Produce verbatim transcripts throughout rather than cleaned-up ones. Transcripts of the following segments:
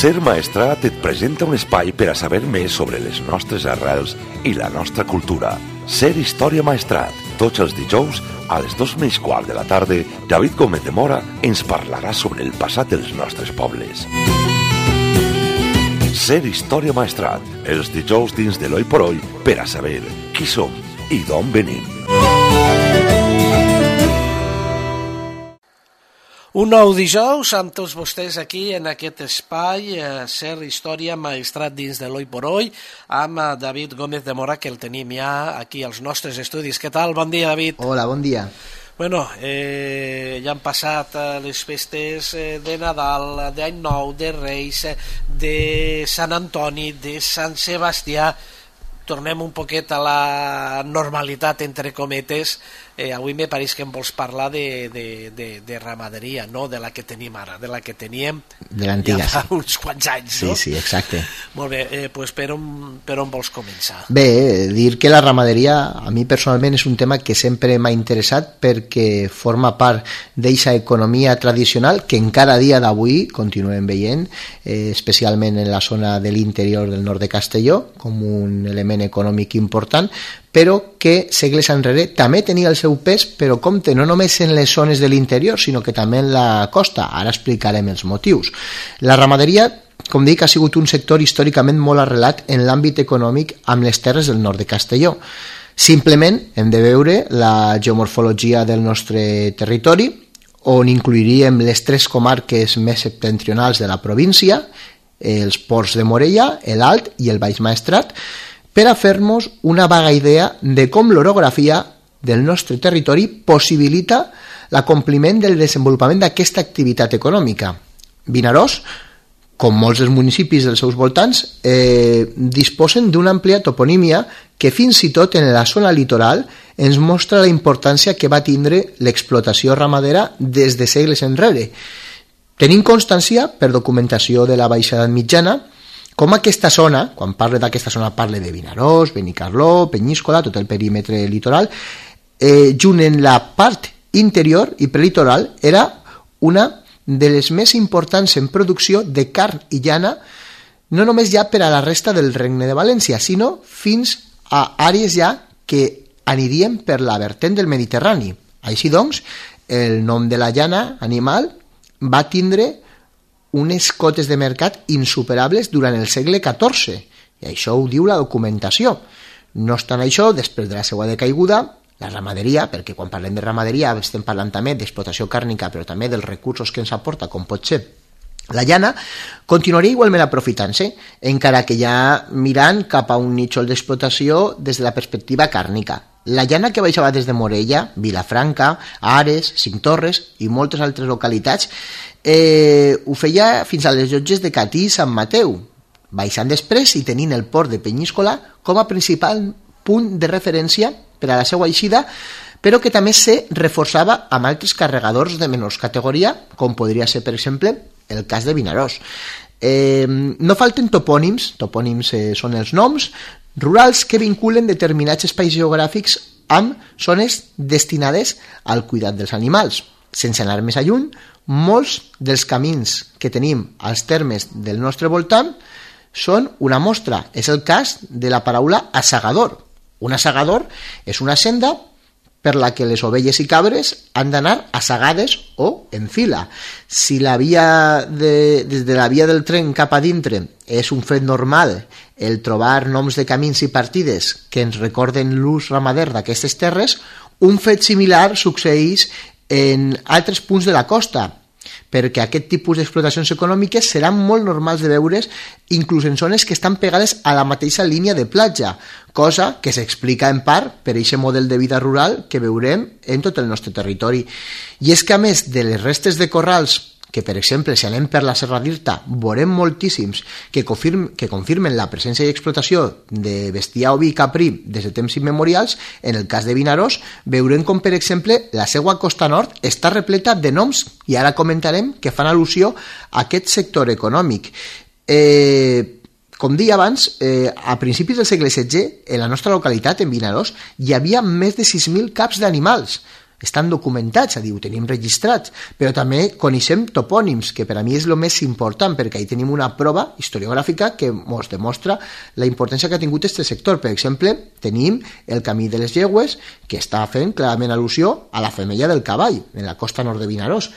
Ser Maestrat et presenta un espai per a saber més sobre les nostres arrels i la nostra cultura. Ser Història Maestrat. Tots els dijous, a les dos menys quart de la tarda, David Gómez de Mora ens parlarà sobre el passat dels nostres pobles. Ser Història Maestrat. Els dijous dins de l'Oi por Oi per a saber qui som i d'on venim. Un nou dijous amb tots vostès aquí en aquest espai, eh, Ser Història Maestrat dins de l'Oi por Oi, amb eh, David Gómez de Mora, que el tenim ja aquí als nostres estudis. Què tal? Bon dia, David. Hola, bon dia. Bueno, eh, ja han passat eh, les festes eh, de Nadal, d'Any Nou, de Reis, eh, de Sant Antoni, de Sant Sebastià. Tornem un poquet a la normalitat, entre cometes. Eh, avui me pareix que em vols parlar de, de, de, de ramaderia, no de la que tenim ara, de la que teníem de l'antiga, ja fa sí. uns quants anys, sí, no? Sí, exacte. Molt bé, eh, pues per on, per on vols començar? Bé, dir que la ramaderia a mi personalment és un tema que sempre m'ha interessat perquè forma part d'eixa economia tradicional que encara a dia d'avui continuem veient, eh, especialment en la zona de l'interior del nord de Castelló, com un element econòmic important, però que segles enrere també tenia el seu pes, però compte, no només en les zones de l'interior, sinó que també en la costa. Ara explicarem els motius. La ramaderia, com dic, ha sigut un sector històricament molt arrelat en l'àmbit econòmic amb les terres del nord de Castelló. Simplement hem de veure la geomorfologia del nostre territori, on incluiríem les tres comarques més septentrionals de la província, els ports de Morella, l'Alt i el Baix Maestrat, per a fer-nos una vaga idea de com l'orografia del nostre territori possibilita l'acompliment del desenvolupament d'aquesta activitat econòmica. Vinaròs, com molts dels municipis dels seus voltants, eh, disposen d'una àmplia toponímia que fins i tot en la zona litoral ens mostra la importància que va tindre l'explotació ramadera des de segles enrere. Tenim constància, per documentació de la Baixa Edat Mitjana, com aquesta zona, quan parle d'aquesta zona parle de Vinaròs, Benicarló, Penyíscola, tot el perímetre litoral, eh, junt en la part interior i prelitoral era una de les més importants en producció de carn i llana, no només ja per a la resta del Regne de València, sinó fins a àrees ja que anirien per la vertent del Mediterrani. Així doncs, el nom de la llana animal va tindre unes cotes de mercat insuperables durant el segle catorze, i això ho diu la documentació. No obstant això, després de la seva decaiguda, la ramaderia, perquè quan parlem de ramaderia estem parlant també d'explotació càrnica, però també dels recursos que ens aporta, com pot ser la llana, continuaria igualment aprofitant-se, encara que ja mirant cap a un nítxol d'explotació des de la perspectiva càrnica. La llana que baixava des de Morella, Vilafranca, Ares, Cinctorres i moltes altres localitats eh, ho feia fins a les llotges de Catí i Sant Mateu, baixant després i tenint el port de Penyíscola com a principal punt de referència per a la seva eixida, però que també se reforçava amb altres carregadors de menors categoria, com podria ser, per exemple, el cas de Vinaròs. Eh, no falten topònims, topònims eh, són els noms, rurals que vinculen determinats espais geogràfics amb zones destinades al cuidat dels animals. Sense anar més lluny, molts dels camins que tenim als termes del nostre voltant són una mostra. És el cas de la paraula assegador. Un assegador és una senda per la que les ovelles i cabres han d'anar assegades o en fila. Si la via de, des de la via del tren cap a dintre és un fet normal el trobar noms de camins i partides que ens recorden l'ús ramader d'aquestes terres, un fet similar succeeix en altres punts de la costa, perquè aquest tipus d'explotacions econòmiques seran molt normals de veure's inclús en zones que estan pegades a la mateixa línia de platja, cosa que s'explica en part per aquest model de vida rural que veurem en tot el nostre territori. I és que a més de les restes de corrals, que per exemple si anem per la Serra d'Irta veurem moltíssims que, confirm, que confirmen la presència i explotació de bestiar oví i caprí des de temps immemorials, en el cas de Vinaròs veurem com per exemple la seva costa nord està repleta de noms, i ara comentarem, que fan al·lusió a aquest sector econòmic. Eh, com deia abans, eh, a principis del segle setze, en la nostra localitat, en Vinaròs, hi havia més de sis mil caps d'animals. estan documentats, és a dir, ho tenim registrats, però també coneixem topònims, que per a mi és el més important, perquè ahí tenim una prova historiogràfica que ens demostra la importància que ha tingut aquest sector. Per exemple, tenim el Camí de les Llegües, que està fent clarament al·lusió a la femella del cavall, en la costa nord de Vinaròs.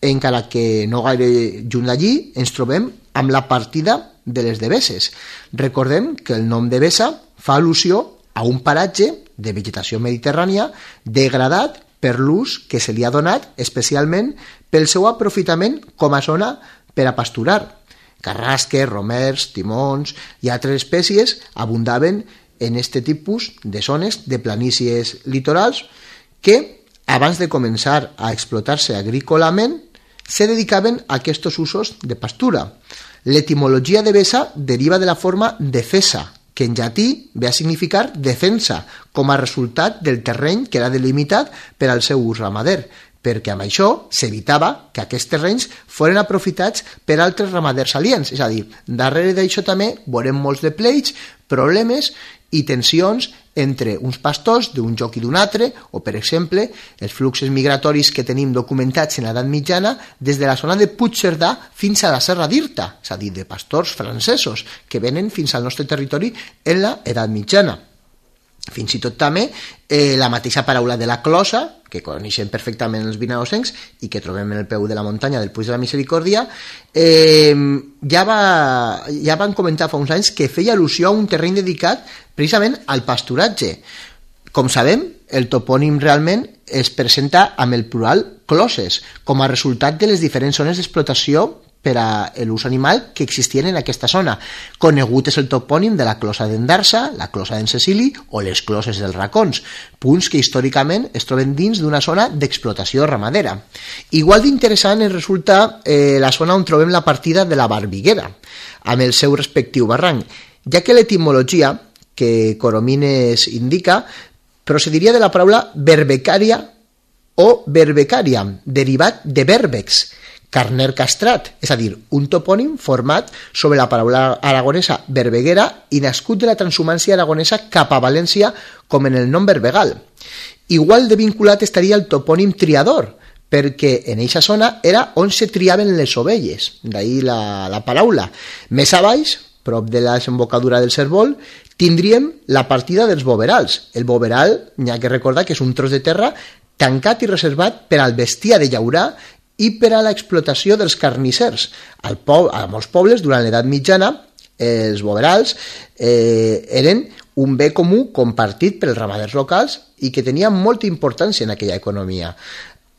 Encara que no gaire lluny d'allí, ens trobem amb la partida de les Deveses. Recordem que el nom de Devesa fa al·lusió a un paratge de vegetació mediterrània degradat per l'ús que se li ha donat, especialment pel seu aprofitament com a zona per a pasturar. Carrasques, romers, timons i altres espècies abundaven en aquest tipus de zones de planícies litorals que, abans de començar a explotar-se agrícolament, se dedicaven a aquests usos de pastura. L'etimologia de Devesa deriva de la forma defesa, que en llatí ve a significar defensa, com a resultat del terreny que era delimitat per al seu ús ramader, perquè amb això s'evitava que aquests terrenys foren aprofitats per altres ramaders aliens. És a dir, darrere d'això també veurem molts de pleits, problemes i tensions entre uns pastors d'un lloc i d'un altre, o, per exemple, els fluxos migratoris que tenim documentats en l'edat mitjana des de la zona de Puigcerdà fins a la Serra d'Irta, és a dir, de pastors francesos que venen fins al nostre territori en l'edat mitjana. Fins i tot també eh, la mateixa paraula de la closa, que coneixem perfectament els vinarosencs i que trobem en el peu de la muntanya del Puig de la Misericòrdia, eh, ja, va, ja van comentar fa uns anys que feia al·lusió a un terreny dedicat precisament al pasturatge. Com sabem, el topònim realment es presenta amb el plural closes, com a resultat de les diferents zones d'explotació per a l'ús animal que existien en aquesta zona. Conegut és el topònim de la closa d'Endarsa, la closa d'en Cecili o les closes dels Racons, punts que històricament es troben dins d'una zona d'explotació ramadera. Igual d'interessant ens resulta eh, la zona on trobem la partida de la Barbiguera, amb el seu respectiu barranc, ja que l'etimologia que Coromines indica procediria de la paraula berbecària o berbecària, derivat de berbex, carner castrat, és a dir, un topònim format sobre la paraula aragonesa berbeguera i nascut de la transhumància aragonesa cap a València com en el nom berbegal. Igual de vinculat estaria el topònim triador, perquè en eixa zona era on se triaven les ovelles, d'ahí la, la paraula. Més a baix, prop de la desembocadura del Cérvol, tindríem la partida dels boverals. El boveral, n'hi ha que recordar que és un tros de terra tancat i reservat per al bestiar de llaurar i per a l'explotació dels carnissers. Al po- a molts pobles, durant l'edat mitjana, els boverals eh, eren un bé comú compartit pels ramaders locals i que tenia molta importància en aquella economia.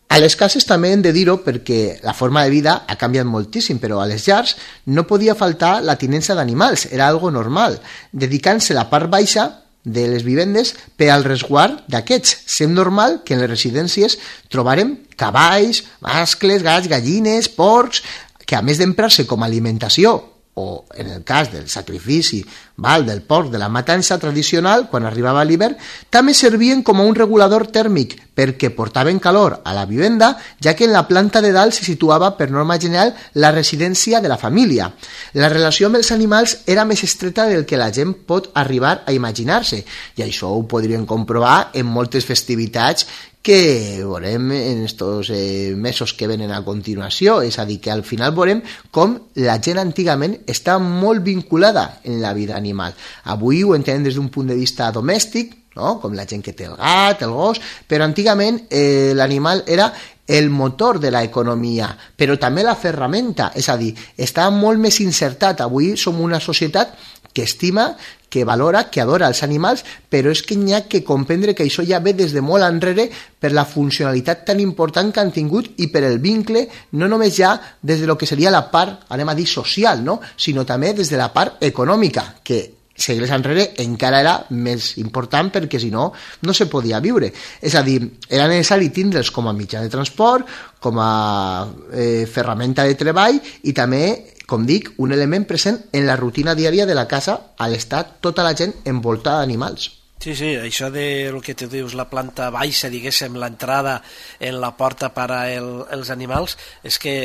A les cases també hem de dir-ho perquè la forma de vida ha canviat moltíssim, però a les llars no podia faltar la tinença d'animals, era algo normal, dedicant-se la part baixa de les vivendes per al resguard d'aquests. Sent normal que en les residències trobarem cavalls, mascles, gats, gallines, porcs, que a més d'emprar-se com a alimentació, o en el cas del sacrifici val, del porc de la matança tradicional, quan arribava l'hivern, també servien com a un regulador tèrmic perquè portaven calor a la vivenda, ja que en la planta de dalt se situava per norma general la residència de la família. La relació amb els animals era més estreta del que la gent pot arribar a imaginar-se, i això ho podríem comprovar en moltes festivitats que veurem en estos eh, mesos que venen a continuació. És a dir, que al final veurem com la gent antigament està molt vinculada en la vida animal. Avui ho entenem des d'un punt de vista domèstic, no? Com la gent que té el gat, el gos, però antigament eh, l'animal era el motor de l'economia, però també la ferramenta, és a dir, està molt més insertat. Avui som una societat que estima, que valora, que adora els animals, però és que n'hi ha que comprendre que això ja ve des de molt enrere per la funcionalitat tan important que han tingut i per el vincle, no només ja des de lo que seria la part, anem a dir, social, no? Sinó també des de la part econòmica, que segles enrere encara era més important perquè si no, no se podia viure. És a dir, era necessari tindre'ls com a mitjà de transport, com a eh, ferramenta de treball i també, com dic, un element present en la rutina diària de la casa al estar tota la gent envoltada d'animals. Sí, sí, això de lo que tu dius, la planta baixa, diguéssim, l'entrada en la porta per a el, els animals, és que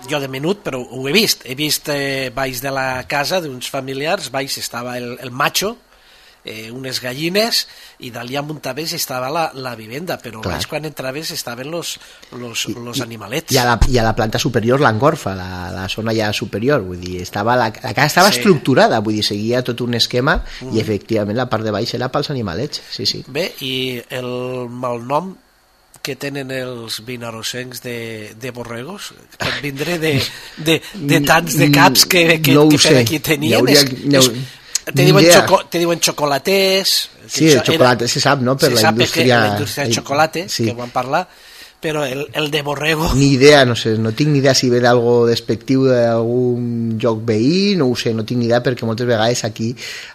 jo de menut, però ho he vist, he vist eh, baix de la casa d'uns familiars, baix estava el, el macho, eh, unes gallines, i d'allí amunt a més estava la, la vivenda, però Clar. més quan entraves estaven los, los, I, los i, animalets. I a, la, I a la planta superior l'engorfa, la, la zona ja superior, vull dir, estava la, la casa estava Sí. estructurada, vull dir, seguia tot un esquema Mm. i efectivament la part de baix era pels animalets, sí, sí. Bé, i el malnom que tenen els vinarosencs de, de borregos pot vindre de, de, de tants de caps que, que, No ho que per sé. aquí tenien. Hi hauria- és, no- és, te, ni diuen idea. xoco, te diuen xocolatés. que Sí, això el xocolate se sap, no?, per se la sap indústria... que la indústria del xocolate, sí. que van parlar, però el, el de borrego... Ni idea, no sé, no tinc ni idea si ve d'algo despectiu d'algun lloc veí, no ho sé, no tinc ni idea, perquè moltes vegades aquí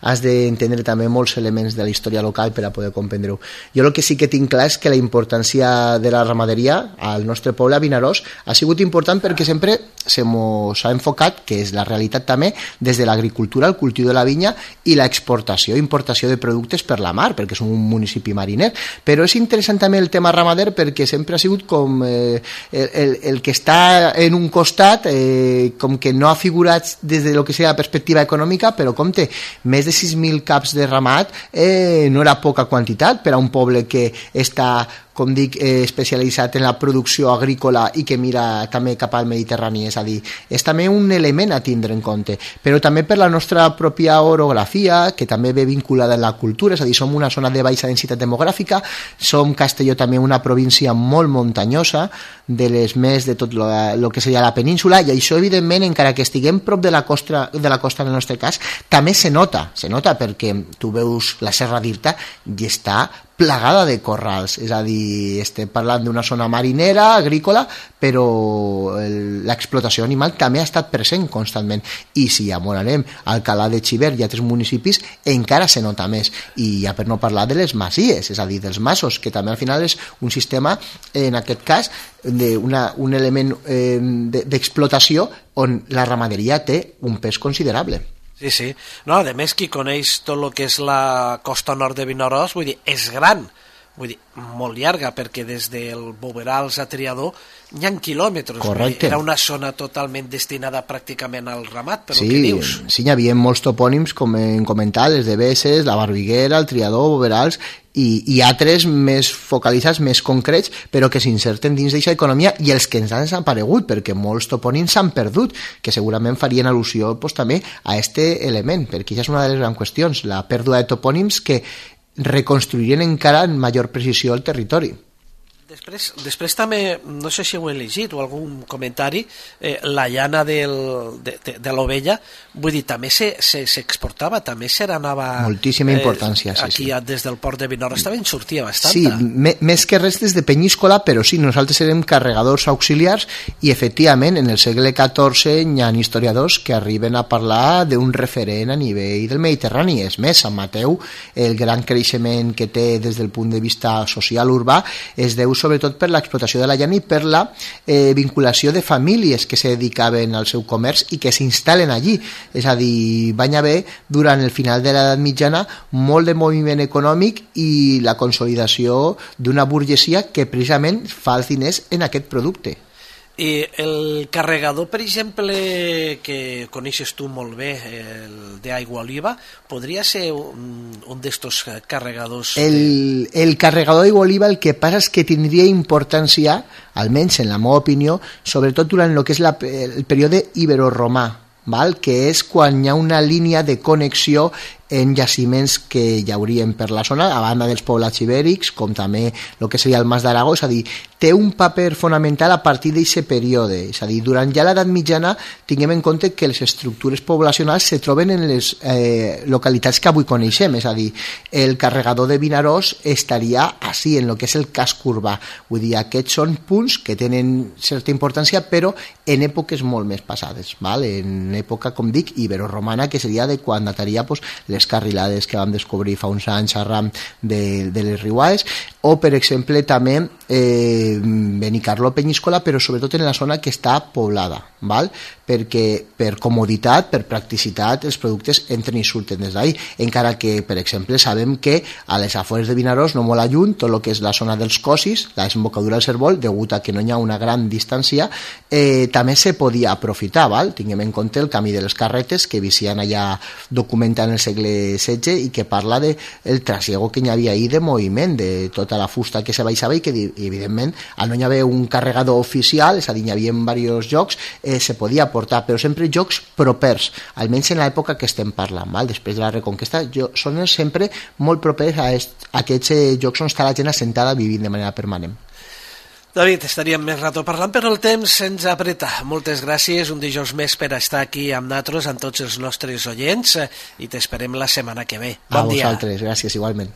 has d'entendre també molts elements de la història local per a poder comprendre-ho. Jo el que sí que tinc clar és que la importància de la ramaderia al nostre poble, a Vinaròs, ha sigut important perquè sempre se mos ha enfocat, que és la realitat també, des de l'agricultura, el cultiu de la vinya i l'exportació, importació de productes per la mar, perquè som un municipi mariner. Però és interessant també el tema ramader perquè sempre ha sigut com eh, el, el, el que està en un costat, eh, com que no ha figurat des de lo que sigui la perspectiva econòmica, però compte, més de sis mil caps de ramat eh, no era poca quantitat per a un poble que està, com dic, eh, especialitzat en la producció agrícola i que mira també cap al Mediterrani, és a dir, és també un element a tindre en compte, però també per la nostra pròpia orografia, que també ve vinculada en la cultura, és a dir, som una zona de baixa densitat demogràfica, som Castelló també una província molt muntanyosa, de les més de tot el que seria la península, i això evidentment, encara que estiguem prop de la costa, de la costa en el nostre cas, també se nota, se nota perquè tu veus la Serra d'Irta i està plagada de corrals, és a dir, estem parlant d'una zona marinera, agrícola, però l'explotació animal també ha estat present constantment, i si ja m'ho anem al Alcalà de Xivert i altres municipis, encara se nota més, i ja per no parlar de les masies, és a dir, dels masos, que també al final és un sistema, en aquest cas, d'una, un element eh, d'explotació on la ramaderia té un pes considerable. Sí, sí. No, a més, qui coneix tot el que és la costa nord de Vinaròs, vull dir, és gran, vull dir, molt llarga, perquè des del Boverals a Triador hi ha quilòmetres. Correcte. Era una zona totalment destinada pràcticament al ramat, per sí, el que dius. Sí, hi havia molts topònims, com hem comentat, les de Besses, la Barbiguera, el Triador, Boverals, i, i altres més focalitzats, més concrets, però que s'inserten dins d'aquesta economia, i els que ens han desaparegut, perquè molts topònims s'han perdut, que segurament farien al·lusió pues, també a aquest element, perquè això és una de les grans qüestions, la pèrdua de topònims que reconstruirien encara en major precisió el territori. Després, després també, no sé si ho he llegit o algun comentari, eh, la llana del, de, de, de l'ovella, vull dir, també s'exportava, se, també se n'anava... Moltíssima importància, eh, sí, aquí sí. des del port de Vinaròs també en sortia bastanta. Sí, me, més que res des de Penyíscola, però sí, nosaltres érem carregadors auxiliars i efectivament en el segle catorze hi ha historiadors que arriben a parlar d'un referent a nivell del Mediterrani. És més, Sant Mateu, el gran creixement que té des del punt de vista social urbà es deu sobretot per l'explotació de la llana i per la eh, vinculació de famílies que se dedicaven al seu comerç i que s'instal·len allí. És a dir, van haver durant el final de l'edat mitjana molt de moviment econòmic i la consolidació d'una burgesia que precisament fa els diners en aquest producte. I el carregador, per exemple, que coneixes tu molt bé, el d'aigua oliva, podria ser un, un d'estos carregadors? El, el carregador d'aigua oliva el que passa és que tindria importància, almenys en la meva opinió, sobretot durant el que és la, el període ibero-romà, val? Que és quan hi ha una línia de connexió en jaciments que hi haurien per la zona, a banda dels poblats ibèrics, com també el que seria el Mas d'Aragó, és a dir, té un paper fonamental a partir d'aquest període, és a dir, durant ja l'edat mitjana tinguem en compte que les estructures poblacionals se troben en les eh, localitats que avui coneixem, és a dir, el carregador de Vinaròs estaria així, en el que és el casc urbà, vull dir, aquests són punts que tenen certa importància, però en èpoques molt més passades, val? En època, com dic, ibero-romana, que seria de quan dataria pues, les carrilades que vam descobrir fa uns anys arran de, de les riuades, o per exemple també eh, Benicarló, Penyíscola, però sobretot en la zona que està poblada, val? Perquè per comoditat, per practicitat, els productes entren i surten des d'ahí, encara que, per exemple, sabem que a les afores de Vinaròs, no molt lluny, tot el que és la zona dels Cosis, la desembocadura del Cérvol, degut a que no hi ha una gran distància, eh, també se podia aprofitar, val? Tinguem en compte el camí de les carretes que vicien allà documentant el segle segle setze i que parla de el trasiego que hi havia ahir de moviment, de tota la fusta que se baixava i que evidentment al no hi havia un carregador oficial, és a dir, hi havia diversos jocs, eh, se podia portar, però sempre jocs propers, almenys en l'època que estem parlant, val? Després de la Reconquesta, jo, són sempre molt propers a, est, a aquests eh, jocs on està la gent assentada vivint de manera permanent. David, estaríem més rato parlant, però el temps se'ns apreta. Moltes gràcies, un dijous més per estar aquí amb nosaltres, amb tots els nostres oients, i t'esperem la setmana que ve. Bon a dia. A vosaltres, gràcies, igualment.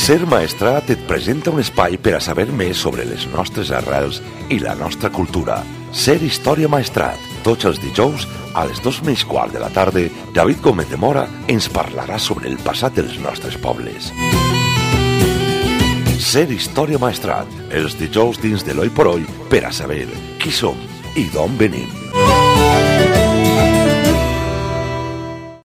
Ser Maestrat et presenta un espai per a saber més sobre les nostres arrels i la nostra cultura. Ser Història Maestrat. Tots els dijous, a les dos menys quart de la tarda, David Gómez de Mora ens parlarà sobre el passat dels nostres pobles. Ser Història Maestrat, els dijous dins de l'Oi por Oi per a saber qui som i d'on venim.